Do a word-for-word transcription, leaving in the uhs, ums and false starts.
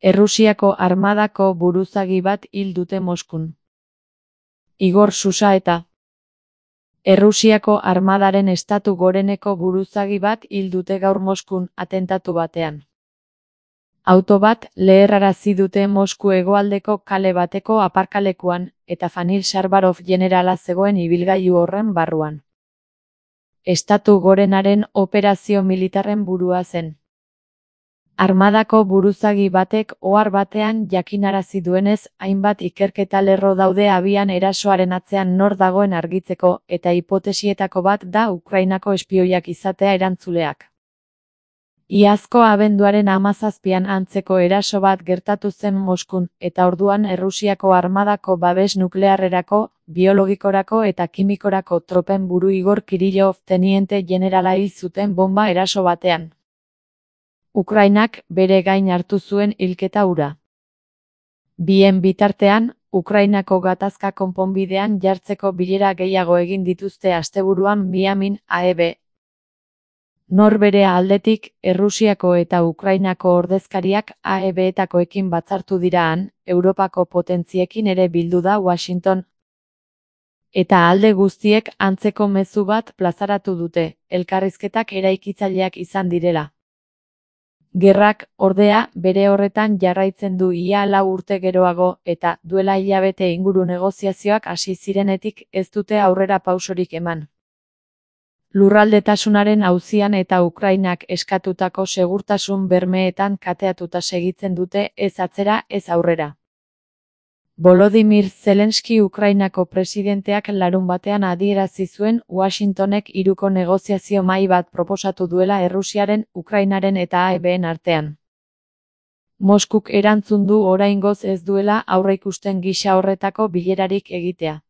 Errusiako armadako buruzagi bat hil dute Moskun. Igor Susaeta. Errusiako armadaren estatu goreneko buruzagi bat hil dute gaur Moskun atentatu batean. Auto bat leherrarazi dute Mosku hegoaldeko kale bateko aparkalekuan, eta Fanil Sharbarov jenerala zegoen ibilgailu horren barruan. Estatu gorenaren operazio militarren burua zen. Armadako buruzagi batek ohar batean jakinarazi duenez, hainbat ikerketa lerro daude abian erasoaren atzean nor dagoen argitzeko, eta hipotesietako bat da Ukrainako espioiak izatea erantzuleak. Iazko abenduaren hamazazpian antzeko eraso bat gertatu zen Moskun, eta orduan Errusiako armadako babes nuklearrerako, biologikorako eta kimikorako tropen buru Igor Kirillov teniente jenerala hil zuten bonba eraso batean. Ukrainak bere gain hartu zuen hilketa hura. Bien bitartean, Ukrainako gatazka konponbidean jartzeko bilera gehiago egin dituzte asteburuan Miamin, A E B. Norbere aldetik, Errusiako eta Ukrainako ordezkariak A E B-etakoekin batzartu dira han, Europako potentziekin ere bildu da Washington. Eta alde guztiek antzeko mezu bat plazaratu dute, elkarrizketak eraikitzaileak izan direla. Gerrak, ordea, bere horretan jarraitzen du ia lau urte geroago, eta duela hilabete inguru negoziazioak hasi zirenetik ez dute aurrera pausorik eman. Lurraldetasunaren auzian eta Ukrainak eskatutako segurtasun bermeetan kateatuta segitzen dute ez atzera ez aurrera. Volodymyr Zelensky Ukrainako presidenteak larunbatean adierazi zuen Washingtonek hiruko negoziazio mahai bat proposatu duela Errusiaren, Ukrainaren eta A E B-en artean. Moskuk erantzun du oraingoz ez duela aurreikusten gisa horretako bilerarik egitea.